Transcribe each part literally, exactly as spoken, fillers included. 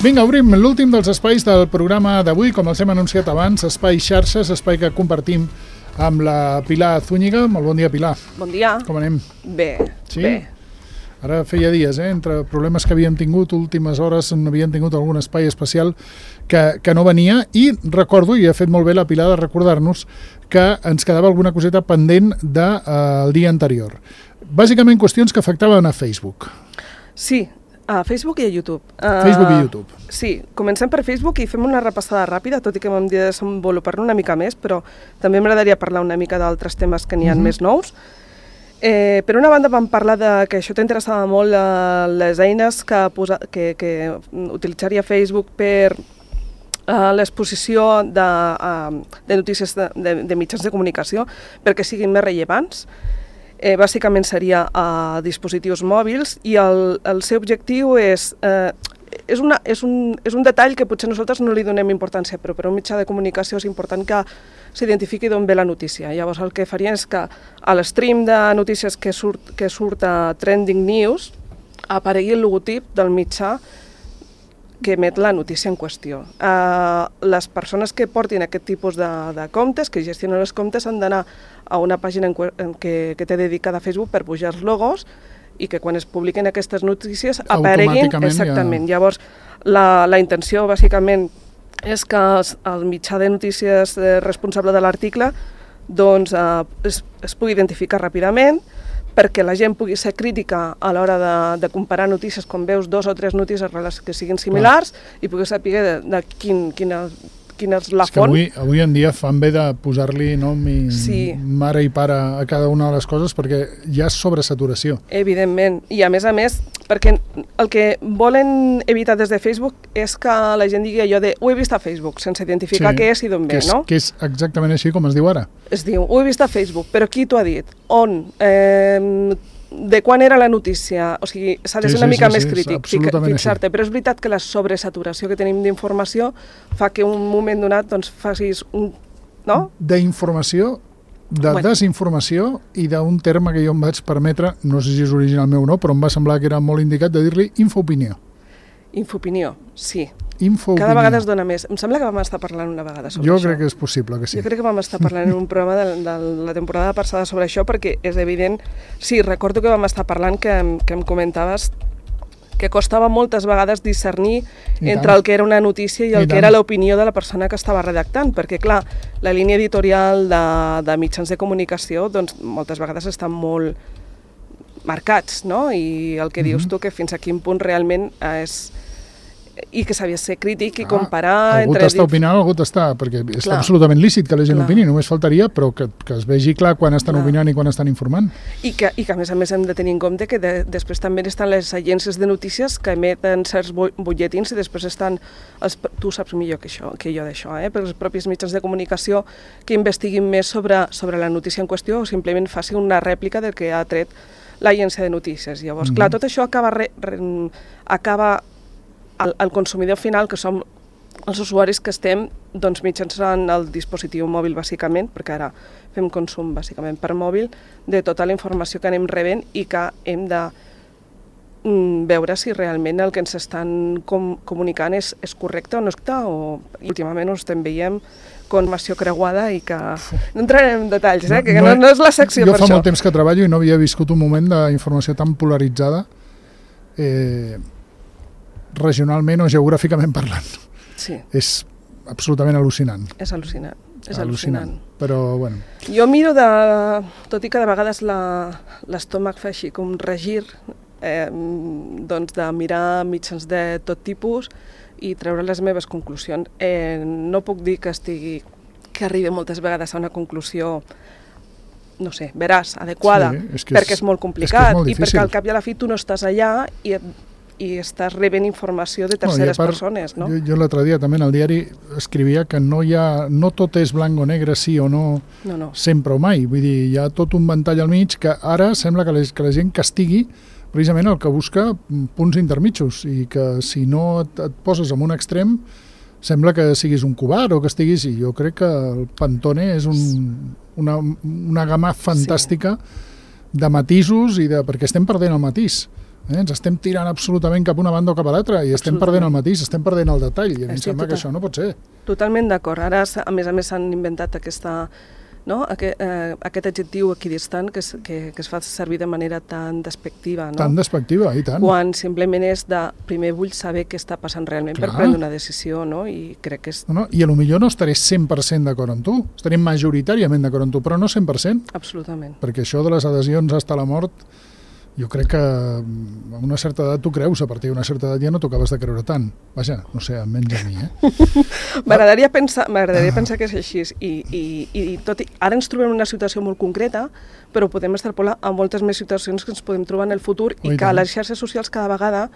Vinga, obrim l'últim dels espais del programa d'avui, com els hem anunciat abans, espai xarxes, espai que compartim amb la Pilar Zúñiga. Molt bon dia, Pilar. Bon dia. Com anem? Bé, sí? bé. Ara feia dies, eh? Entre problemes que havíem tingut, últimes hores n'havíem tingut algun espai especial que, que no venia, i recordo, i ha fet molt bé la Pilar de recordar-nos, que ens quedava alguna coseta pendent del eh, dia anterior. Bàsicament qüestions que afectaven a Facebook. Sí, a Facebook i a YouTube. Uh, Facebook i YouTube. Sí, comencem per Facebook i fem una repassada ràpida, tot i que m'hem de desenvolupar-ne una mica més, però també m'agradaria parlar una mica d'altres temes que n'hi ha uh-huh. més nous. Eh, per una banda vam parlar de que això t'interessava molt uh, les eines que, posa, que, que utilitzaria Facebook per uh, l'exposició de, uh, de notícies de, de, de mitjans de comunicació perquè siguin més rellevants. Eh, bàsicament seria a dispositius mòbils i el, el seu objectiu és, eh, és, una, és, un, és un detall que potser nosaltres no li donem importància, però per un mitjà de comunicació és important que s'identifiqui d'on ve la notícia. Llavors el que farien és que a l'estream de notícies que surt, que surt a Trending News aparegui el logotip del mitjà que emet la notícia en qüestió. Uh, les persones que portin aquest tipus de, de comptes, que gestionen els comptes, han d'anar a una pàgina en, en que, que té dedicada a Facebook per pujar els logos i que quan es publiquen aquestes notícies apareguin exactament. Ja... Llavors, la, la intenció bàsicament és que els, el mitjà de notícies responsable de l'article doncs, uh, es, es pugui identificar ràpidament, perquè la gent pugui ser crítica a l'hora de, de comparar notícies, quan veus dos o tres notícies que siguin similars, clar, i pugui saber de, de quin, quina, quina és la és font. Avui, avui en dia fan bé de posar-li nom i sí. mare i pare a cada una de les coses, perquè hi ha sobresaturació. Evidentment, i a més a més, perquè el que volen evitar des de Facebook és que la gent digui allò de ho he vist a Facebook, sense identificar sí, què és i d'on ve, no? Que és exactament així com es diu ara. Es diu, ho he vist a Facebook, però qui t'ho ha dit? On? Eh, de quan era la notícia? O sigui, s'ha de ser sí, una sí, mica sí, més sí, crític, fixar-te, però és veritat que la sobresaturació que tenim d'informació fa que un moment donat doncs, facis un... no? D'informació, de bueno. desinformació i d'un terme que jo em vaig permetre, no sé si és original meu o no, però em va semblar que era molt indicat de dir-li infoopinió. Infoopinió, sí. Infoopinió. Cada vegada es dona més. Em sembla que vam estar parlant una vegada sobre jo això. Jo crec que és possible que sí. Jo crec que vam estar parlant en un programa de, de la temporada passada sobre això, perquè és evident... Sí, recordo que vam estar parlant que, que em comentaves que costava moltes vegades discernir I entre tant. el que era una notícia i el I que tant. era l'opinió de la persona que estava redactant, perquè, clar, la línia editorial de, de mitjans de comunicació doncs, moltes vegades estan molt marcats, no? I el que mm-hmm. dius tu, que fins a quin punt realment és... i que s'havia de ser crític i ah, comparar... Algú entre t'està opinant, algú t'està... Perquè clar. està absolutament lícit que la gent clar. opini, només faltaria, però que, que es vegi clar quan estan clar. opinant i quan estan informant. I que, I que a més a més hem de tenir en compte que de, després també estan les agències de notícies que emeten certs butlletins i després estan... Els, tu saps millor que, això, que jo d'això, eh? Però els propis mitjans de comunicació que investiguin més sobre, sobre la notícia en qüestió o simplement faci una rèplica del que ha tret l'agència de notícies. Llavors, mm-hmm. clar, tot això acaba... Re, re, acaba El, el consumidor final, que som els usuaris que estem doncs, mitjançant el dispositiu mòbil, bàsicament, perquè ara fem consum bàsicament per mòbil, de tota la informació que anem rebent i que hem de mm, veure si realment el que ens estan com, comunicant és, és correcte o no és correcte, o últimament ho estem veient informació creuada i que... No entrarem en detalls, eh? que no, no és la secció jo per això. Jo fa això. molt temps que treballo i no havia viscut un moment d'informació tan polaritzada eh, regionalment o geogràficament parlant. Sí. És absolutament al·lucinant. És al·lucinant. És al·lucinant. al·lucinant. Però, bueno... Jo miro de... Tot i que de vegades l'estómac fa així com regir, eh, doncs de mirar mitjans de tot tipus i treure les meves conclusions. Eh, no puc dir que estigui... que arribi moltes vegades a una conclusió no sé, veràs, adequada, sí, és perquè és, és molt complicat és és molt i perquè al cap i a la fi tu no estàs allà i et i estàs rebent informació de terceres no, part, persones, no? Jo, jo l'altre dia també en el diari escrivia que no hi ha, no tot és blanc o negre, sí o no, no, no. sempre o mai. Vull dir, hi ha tot un ventall al mig que ara sembla que la, que la gent castigui precisament el que busca punts intermitjos i que si no et, et poses en un extrem sembla que siguis un covard o que estiguis... I jo crec que el Pantone és un, una, una gamma fantàstica sí. de matisos i de... perquè estem perdent el matís. Eh? Ens estem tirant absolutament cap una banda o cap a l'altra i estem perdent el matís, estem perdent el detall i a mi em sembla que això no pot ser. Totalment d'acord. Ara, a més a més, s'han inventat aquesta, no? aquest, eh, aquest adjectiu equidistant que es, que, que es fa servir de manera tan despectiva. No? Tan despectiva, i tant. Quan simplement és de primer vull saber què està passant realment Clar. per prendre una decisió, no? I crec que és... No, no, I a lo millor no estaré cent per cent d'acord amb tu, estaré majoritàriament d'acord amb tu, però no cent per cent. Absolutament. Perquè això de les adhesions fins a la mort, jo crec que a una certa edat tu creus, a partir d'una certa edat ja no t'ho acabes de creure tant. Vaja, no sé, almenys a mi, eh? M'agradaria pensar, m'agradaria pensar que és així i, i, i tot i ara ens trobem en una situació molt concreta, però podem extrapolar a moltes més situacions que ens podem trobar en el futur i que les xarxes socials cada vegada,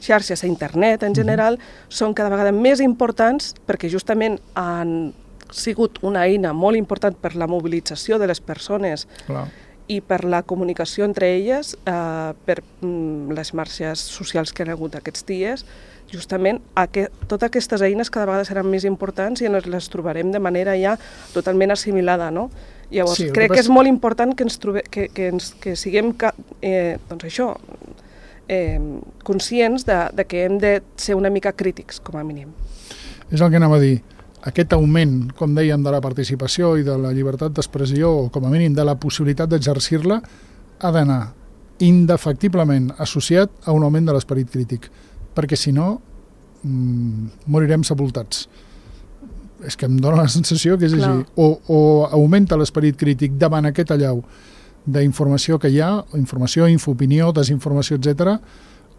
xarxes a internet en general, són cada vegada més importants perquè justament han sigut una eina molt important per la mobilització de les persones Clar. i per la comunicació entre elles, eh, per mm, les xarxes socials que han hagut aquests dies, justament aquest, totes aquestes eines cada vegada seran més importants i ens les trobarem de manera ja totalment assimilada, no? Llavors, sí, crec que, que és molt important que, ens trobe, que, que, ens, que siguem eh, doncs això, eh, conscients de, de que hem de ser una mica crítics, com a mínim. És el que anava a dir. Aquest augment, com dèiem, de la participació i de la llibertat d'expressió, o com a mínim de la possibilitat d'exercir-la, ha d'anar indefectiblement associat a un augment de l'esperit crític, perquè si no mmm, morirem sepultats. És que em dóna la sensació que és Clar. així. O, o augmenta l'esperit crític davant aquest allau d'informació que hi ha, informació, infopinió, desinformació, etcètera,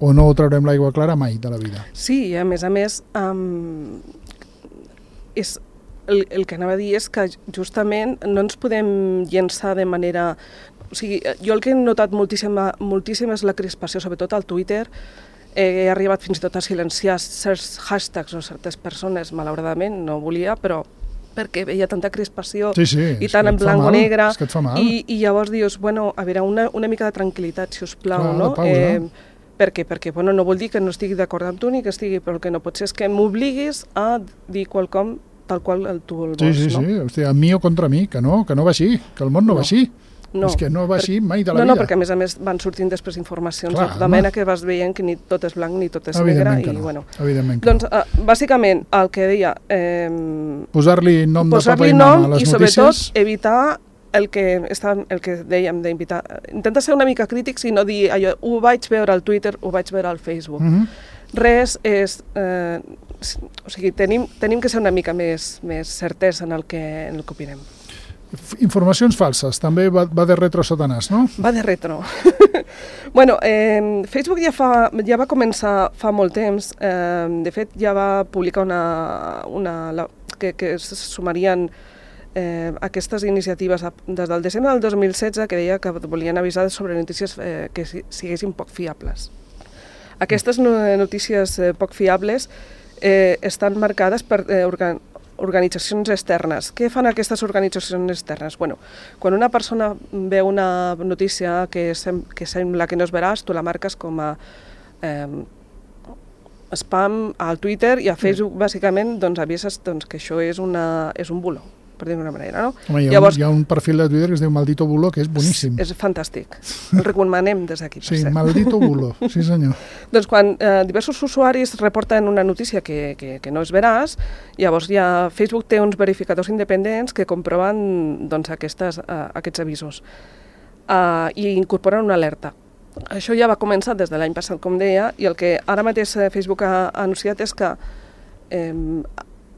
o no traurem l'aigua clara mai de la vida. Sí, i a més a més... Um... És, el, el que anava a dir és que justament no ens podem llençar de manera... O sigui, jo el que he notat moltíssima, moltíssim és la crispació, sobretot al Twitter. He arribat fins i tot a silenciar certs hashtags o certes persones, malauradament, no volia, però perquè veia tanta crispació sí, sí, i tant en blanc o negre. És que et fa mal. I, i llavors dius, bueno, a veure, una, una mica de tranquil·litat, si us plau, Clar, no? de pausa. Eh, per què? Perquè bueno, no vol dir que no estigui d'acord amb tu ni que estigui, però el que no pot ser és que m'obliguis a dir quelcom tal qual el tu el vols, sí, sí, no? Sí, sí, a mi o contra mi, que no, que no va així, que el món no, no. va així. No. És que no va així mai de la no, vida. No, perquè a més a més van sortint després informacions Clar, de mena que vas veient que ni tot és blanc ni tot és negre. I, no. bueno. Evidentment que doncs, uh, bàsicament, el que deia... Eh, posar-li nom posar de papa i mama a les i notícies. I sobretot evitar el que, està, el que dèiem d'invitar. Intenta ser una mica crítics i no dir allò, ho vaig veure al Twitter, ho vaig veure al Facebook. Mm-hmm. Res és... Eh, o sigui, tenim, tenim que ser una mica més, més certesa en el que, en el que opinem. Informacions falses, també va, va de retro Satanàs, no? Va de retro. bueno, eh, Facebook ja, fa, ja va començar fa molt temps, eh, de fet ja va publicar una... una la, que, que es sumarien eh, aquestes iniciatives des del desembre del dos mil setze que deia que volien avisar sobre notícies eh, que siguessin poc fiables. Aquestes notícies eh, poc fiables eh, estan marcades per eh, organ organitzacions externes. Què fan aquestes organitzacions externes? Bueno, quan una persona veu una notícia que, sem que sembla que no és veraç, tu la marques com a eh, spam al Twitter i a Facebook, sí. bàsicament, doncs avises doncs, que això és, una, és un bulo, per dir d'una manera, no? Home, hi ha, Llavors, un, hi ha un perfil de Twitter que es diu Maldito Bulo, que és boníssim. És, és fantàstic. El recomanem des d'aquí. Sí, Maldito Bulo, sí senyor. Doncs quan eh, diversos usuaris reporten una notícia que, que, que no és veraç, llavors ja Facebook té uns verificadors independents que comproven doncs, aquestes, uh, aquests avisos uh, i incorporen una alerta. Això ja va començar des de l'any passat, com deia, i el que ara mateix Facebook ha, ha anunciat és que eh,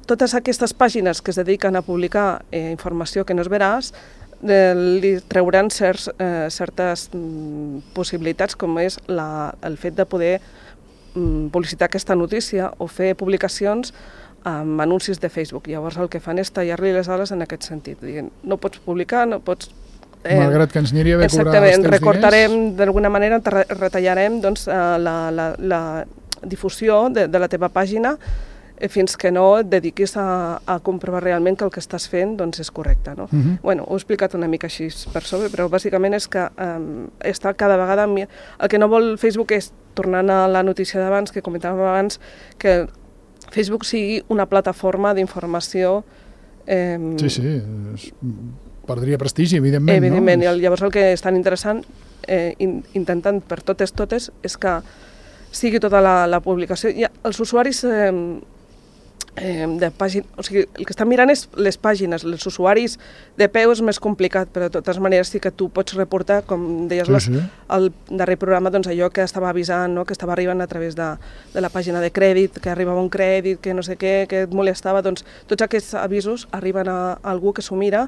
totes aquestes pàgines que es dediquen a publicar eh, informació que no és veraç eh, li trauran certs, eh, certes mm, possibilitats, com és la, el fet de poder mm, publicitar aquesta notícia o fer publicacions amb anuncis de Facebook. Llavors el que fan és tallar-li les ales en aquest sentit, dient, no pots publicar, no pots... Eh, Malgrat que ens aniria bé cobrar els teus recortarem, d'alguna manera, retallarem doncs, la, la, la difusió de, de la teva pàgina fins que no et dediquis a, a comprovar realment que el que estàs fent doncs, és correcte. No? Uh-huh. Bueno, ho he explicat una mica així per sobre, però bàsicament és que um, està cada vegada... El que no vol Facebook és, tornant a la notícia d'abans, que comentàvem abans, que Facebook sigui una plataforma d'informació... Eh, sí, sí. És... perdria prestigi, evidentment. Evidentment, no? I llavors el que és tan interessant, eh, in, intentant per totes totes, és que sigui tota la, la publicació. Ja, els usuaris eh, eh, de pàgina, o sigui, el que estan mirant és les pàgines, els usuaris de peu és més complicat, però de totes maneres sí que tu pots reportar, com deies Sí, les, sí. al darrer programa, doncs allò que estava avisant, no? Que estava arribant a través de, de la pàgina de crèdit, que arribava un crèdit, que no sé què, que et molestava, doncs tots aquests avisos arriben a, a algú que s'ho mira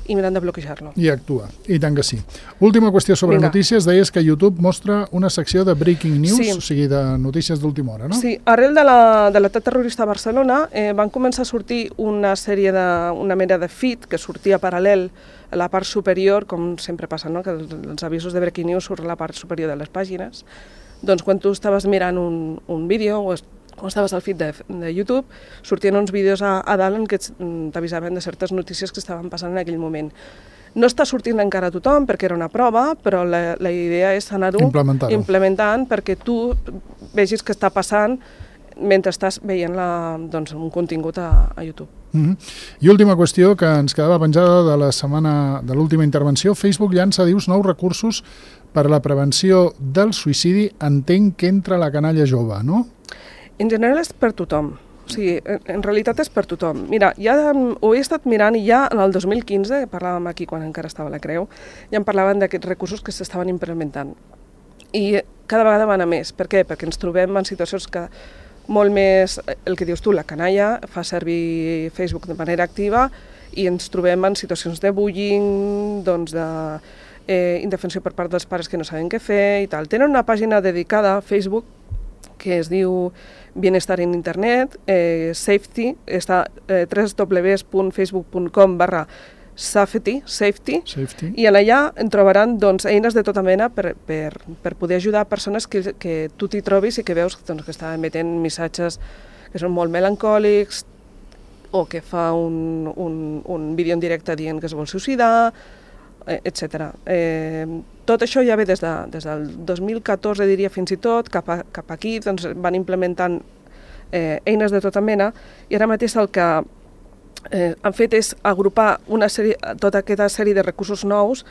i miren de bloquejar-lo. I actua, i tant que sí. Última qüestió sobre Vinga. notícies, deies que YouTube mostra una secció de breaking news, Sí. o sigui, de notícies d'última hora, no? Sí, arrel de la, de l'atac terrorista a Barcelona eh, van començar a sortir una sèrie de, una mena de feed que sortia paral·lel a la part superior, com sempre passa, no? Que els, els avisos de breaking news surten a la part superior de les pàgines. Doncs quan tu estaves mirant un, un vídeo o es, quan estaves al feed de, de YouTube, sortien uns vídeos a, a dalt en què t'avisaven de certes notícies que estaven passant en aquell moment. No està sortint encara a tothom perquè era una prova, però la, la idea és anar-ho implementant perquè tu vegis què està passant mentre estàs veient la, doncs, un contingut a, a YouTube. Mm-hmm. I última qüestió que ens quedava penjada de la setmana de l'última intervenció, Facebook llança, dius, nous recursos per a la prevenció del suïcidi, entenc que entra la canalla jove, no? En general és per tothom, o sigui, en, en realitat és per tothom. Mira, ja ho he estat mirant i ja en el dos mil quinze, parlàvem aquí quan encara estava a la Creu, ja en parlaven d'aquests recursos que s'estaven implementant. I cada vegada van a més. Per què? Perquè ens trobem en situacions que molt més, el que dius tu, la canalla fa servir Facebook de manera activa i ens trobem en situacions de bullying, doncs de eh, indefensió per part dels pares que no saben què fer i tal. Tenen una pàgina dedicada a Facebook que es diu Bienestar en Internet, eh, Safety, està eh, w w w punt facebook punt com barra safety, safety, Safety. i en allà en trobaran doncs, eines de tota mena per, per, per poder ajudar persones que, que tu t'hi trobis i que veus doncs, que estan emetent missatges que són molt melancòlics o que fa un, un, un vídeo en directe dient que es vol suïcidar, etcètera. Eh, tot això ja ve des, de, des del dos mil catorze, diria fins i tot, cap, a, cap aquí doncs, van implementant eh, eines de tota mena i ara mateix el que eh, han fet és agrupar una sèrie, tota aquesta sèrie de recursos nous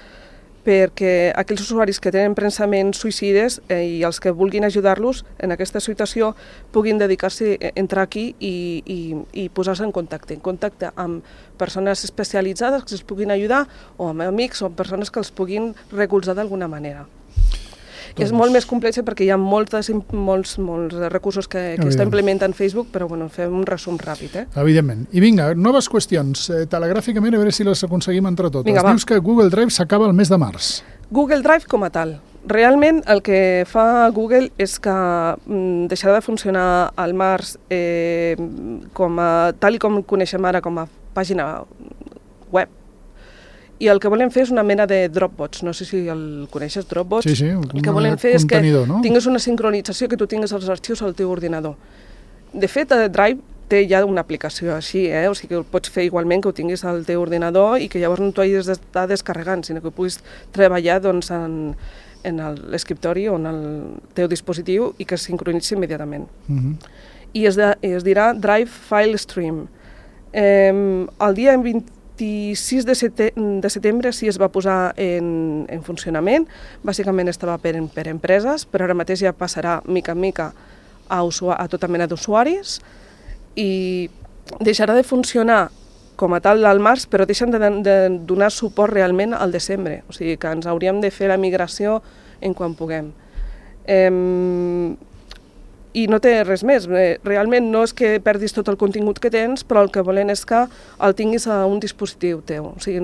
perquè aquells usuaris que tenen pensaments suïcides eh, i els que vulguin ajudar-los en aquesta situació puguin dedicar-se a entrar aquí i, i, i posar-se en contacte, en contacte amb persones especialitzades que els puguin ajudar o amb amics o amb persones que els puguin recolzar d'alguna manera. Doncs... És molt més complex perquè hi ha moltes, molts, molts recursos que, que està implementant Facebook, però bueno, fem un resum ràpid. Eh? Evidentment. I vinga, noves qüestions. Eh, telegràficament, a veure si les aconseguim entre totes. Vinga, Dius que Google Drive s'acaba el mes de març. Google Drive com a tal. Realment el que fa Google és que mm, deixarà de funcionar al març eh, com a, tal i com coneixem ara com a pàgina web. I el que volem fer és una mena de Dropbox. No sé si el coneixes, Dropbox. Sí, sí, el que volem fer és que no? tingues una sincronització, que tu tingues els arxius al teu ordinador. De fet, Drive té ja una aplicació així, eh? O sigui que ho pots fer igualment que ho tinguis al teu ordinador i que llavors no t'ho hagis d'estar descarregant, sinó que puguis treballar doncs, en, en l'escriptori o en el teu dispositiu i que es sincronitzi immediatament. Uh-huh. I es, de, es dirà Drive File Stream. Eh, el dia vint-i-sis de setembre sí es va posar en, en funcionament, bàsicament estava per, per empreses, però ara mateix ja passarà mica en mica a, a tota mena d'usuaris i deixarà de funcionar com a tal al març, però deixen de, de donar suport realment al desembre, o sigui que ens hauríem de fer la migració en quan puguem. Eh, I no té res més, realment no és que perdis tot el contingut que tens, però el que volen és que el tinguis a un dispositiu teu, o sigui,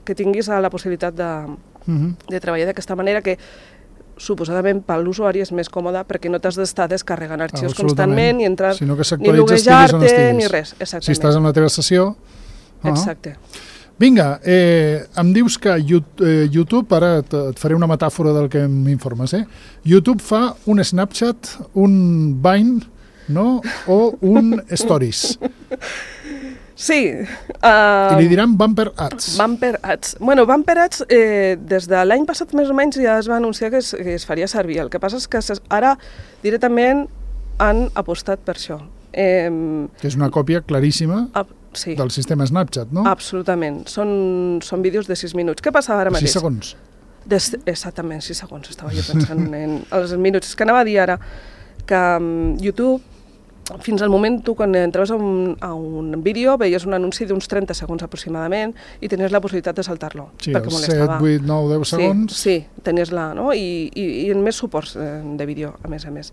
que tinguis la possibilitat de, uh-huh. de treballar d'aquesta manera que suposadament per l'usuari és més còmode perquè no t'has d'estar descarregant arxius constantment ni entrar, sinó que ni loguejar-te, ni res. Exactament. Si estàs en la teva sessió... Uh-huh. Exacte. Vinga, eh, em dius que YouTube, ara et faré una metàfora del que m'informes, eh? YouTube fa un Snapchat, un Vine, no? O un Stories. Sí. Uh, I li diran Bumper Ads. Bumper Ads. Bueno, Bumper Ads, eh, des de l'any passat més o menys ja es va anunciar que es, que es faria servir. El que passa és que ara directament han apostat per això. Eh, que és una còpia claríssima. A, sí. del sistema Snapchat, no? Absolutament. Són, són vídeos de sis minuts. Què passa ara mateix? sis segons. Des, exactament, sis segons. Estava jo pensant en els minuts. És que anava a dir ara que um, YouTube, fins al moment, tu quan entraves a un, a un vídeo veies un anunci d'uns trenta segons aproximadament i tenies la possibilitat de saltar-lo. Sí, els set, vuit, nou, deu segons. Sí, sí, tenies la, no? I, i, i en més suports de vídeo, a més a més.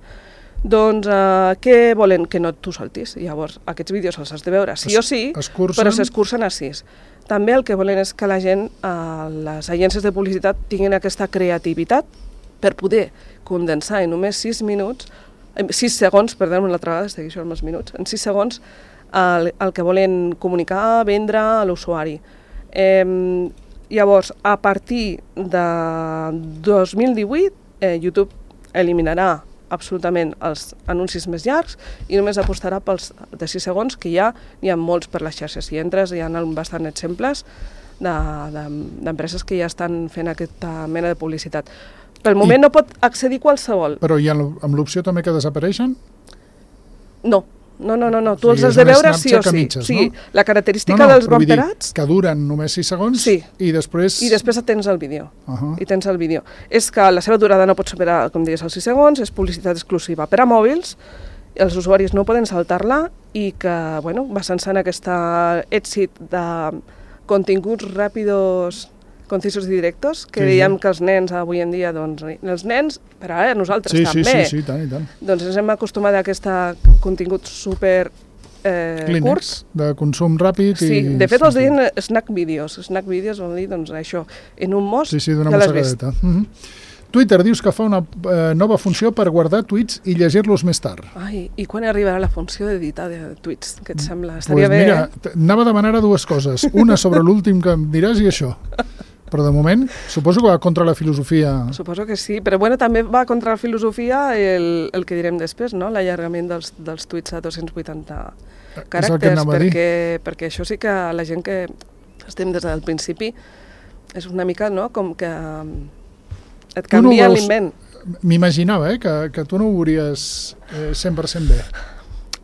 Doncs uh, què volen? Que no tu saltis. Llavors, aquests vídeos els has de veure sí es, o sí, escurcen. Però s'escurcen a sis. També el que volen és que la gent, uh, les agències de publicitat, tinguin aquesta creativitat per poder condensar en només sis minuts sis segons, perdó, una altra vegada, estic això amb els minuts, en sis segons el, el que volen comunicar, vendre a l'usuari. Eh, llavors, a partir de dos mil divuit, eh, YouTube eliminarà absolutament els anuncis més llargs i només apostarà pels de sis segons, que ja n'hi ha molts per les xarxes. Si entres, hi ha bastant exemples d'empreses que ja estan fent aquesta mena de publicitat. Pel moment I, no pot accedir qualsevol. Però hi ha amb l'opció també que desapareixen? No, no, no, no, no. tu o sigui, els has de veure sí o sí. Mitges, sí. No? La característica no, no, dels bumperats... Que duren només sis segons sí. i després... I després tens el vídeo. Uh -huh. I tens el vídeo. És que la seva durada no pot superar, com deies, els sis segons, és publicitat exclusiva per a mòbils, els usuaris no poden saltar-la i que, bueno, basant-se en aquest èxit de continguts ràpidos, concisos i directos, que sí, dèiem sí. que els nens avui en dia, doncs, els nens, però ara nosaltres sí, també, sí, sí, sí, tant, i tant. doncs ens hem acostumat a aquest contingut super eh, Clínex, curts. De consum ràpid. Sí, i... de fet els deien snack videos. Snack videos vol dir, doncs, això, en un mos sí, sí, d'una ja l'has vist. Uh -huh. Twitter dius que fa una eh, nova funció per guardar tuits i llegir-los més tard. Ai, i quan arribarà la funció d'editar de tuits? Què et sembla? Estaria pues bé, mira, eh? Anava a demanar a dues coses. Una sobre l'últim que em diràs i això. Però de moment, suposo que va contra la filosofia... Suposo que sí, però bueno, també va contra la filosofia el, el que direm després, no? L'allargament dels, dels tuits a dos-cents vuitanta caràcters, perquè, perquè això sí que la gent que estem des del principi és una mica, no?, com que et canvia no l'invent. M'imaginava, eh, que, que tu no ho veuries eh, cent per cent bé.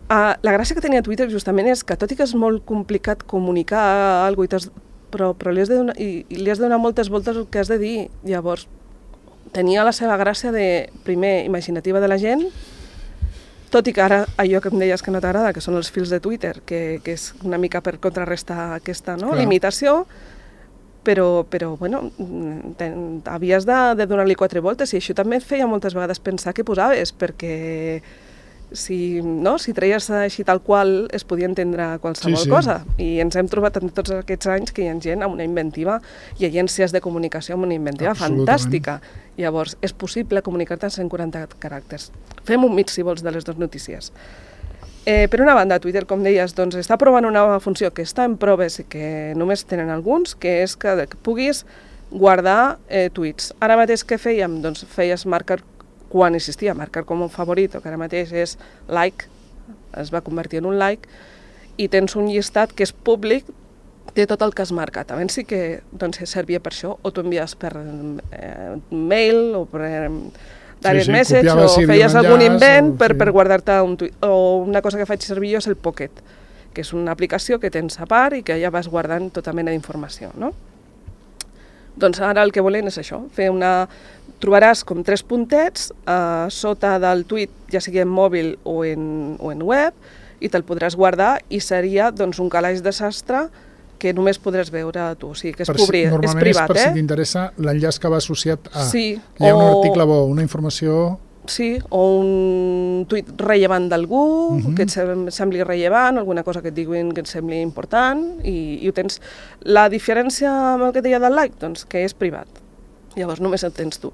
Uh, la gràcia que tenia Twitter justament és que, tot i que és molt complicat comunicar alguna cosa, però, però li has de donar, i, i li has de donar moltes voltes el que has de dir. Llavors, tenia la seva gràcia de, primer, imaginativa de la gent, tot i que ara allò que em deies que no t'agrada, que són els fils de Twitter, que, que és una mica per contrarrestar aquesta, no?, limitació, però, però bueno, ten, havies de, de donar-li quatre voltes, i això també et feia moltes vegades pensar què posaves, perquè si, no, si treies així tal qual es podia entendre qualsevol sí, sí. cosa, i ens hem trobat en tots aquests anys que hi ha gent amb una inventiva i agències de comunicació amb una inventiva fantàstica. Llavors, és possible comunicar-te en cent quaranta caràcters. Fem un mix, si vols, de les dues notícies. Eh, per una banda, Twitter, com deies, doncs, està provant una nova funció que està en proves i que només tenen alguns, que és que, que puguis guardar eh, tuits. Ara mateix què fèiem? Doncs feies marcar, quan existia marcar com un favorit, que ara mateix és like, es va convertir en un like, i tens un llistat que és públic de tot el que has marcat. Abans sí que doncs, servia per això, o t'ho envies per eh, mail o per eh, direct sí, sí, message, o feies algun invent o, per, sí. per guardar-te un tuit. O una cosa que faig servir jo és el Pocket, que és una aplicació que tens a part i que ja vas guardant tota mena d'informació, no? Doncs ara el que volen és això, fer una... Trobaràs com tres puntets eh, sota del tuit, ja sigui en mòbil o en, o en web, i te'l podràs guardar i seria doncs, un calaix de sastre que només podràs veure tu, o sigui que és, per si, és privat. És per eh? si t'interessa l'enllaç que va associat a... Sí, hi ha o... un article bo, una informació... Sí, o un tuit rellevant d'algú, uh-huh. que et sembli rellevant, alguna cosa que et diguin que et sembli important, i, i ho tens. La diferència amb el que deia del like, doncs que és privat. Llavors només el tens tu.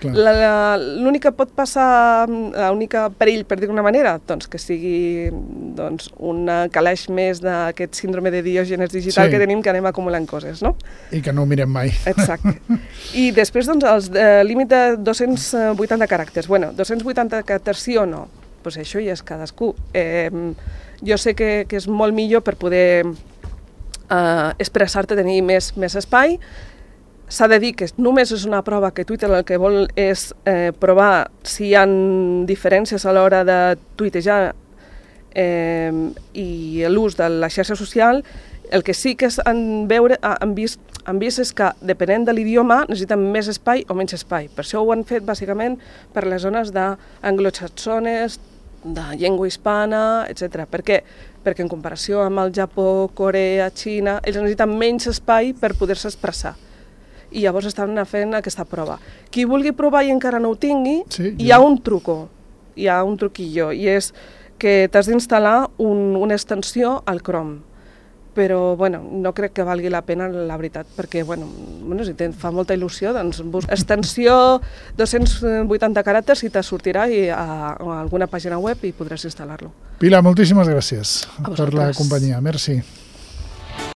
L'únic que pot passar, l'únic perill, per dir d'una manera, doncs que sigui doncs, un calaix més d'aquest síndrome de Diògenes digital sí. que tenim, que anem acumulant coses, no? I que no ho mirem mai. Exacte. I després, doncs, el eh, límit de dos-cents vuitanta caràcters. Bueno, dos-cents vuitanta caràcters sí o no? Doncs pues això ja és cadascú. Eh, jo sé que, que és molt millor per poder eh, expressar-te, tenir més, més espai. S'ha de dir que només és una prova que Twitter el que vol és eh, provar si hi ha diferències a l'hora de tuitejar eh, i l'ús de la xarxa social, el que sí que han, veure, han, vist, han vist és que, depenent de l'idioma, necessiten més espai o menys espai. Per això ho han fet, bàsicament, per les zones d'anglosaxones, de llengua hispana, etcètera. Per què? Perquè en comparació amb el Japó, Corea, Xina, ells necessiten menys espai per poder-se expressar. I llavors estan fent aquesta prova. Qui vulgui provar i encara no ho tingui, sí, hi ha un truco, hi ha un truquillo, i és que t'has d'instal·lar un, una extensió al Chrome. Però, bueno, no crec que valgui la pena, la veritat, perquè, bueno, bueno si te fa molta il·lusió, doncs busca extensió dos-cents vuitanta caràcters i te sortirà i a, a alguna pàgina web i podràs instal·lar-lo. Pilar, moltíssimes gràcies per la companyia. Merci.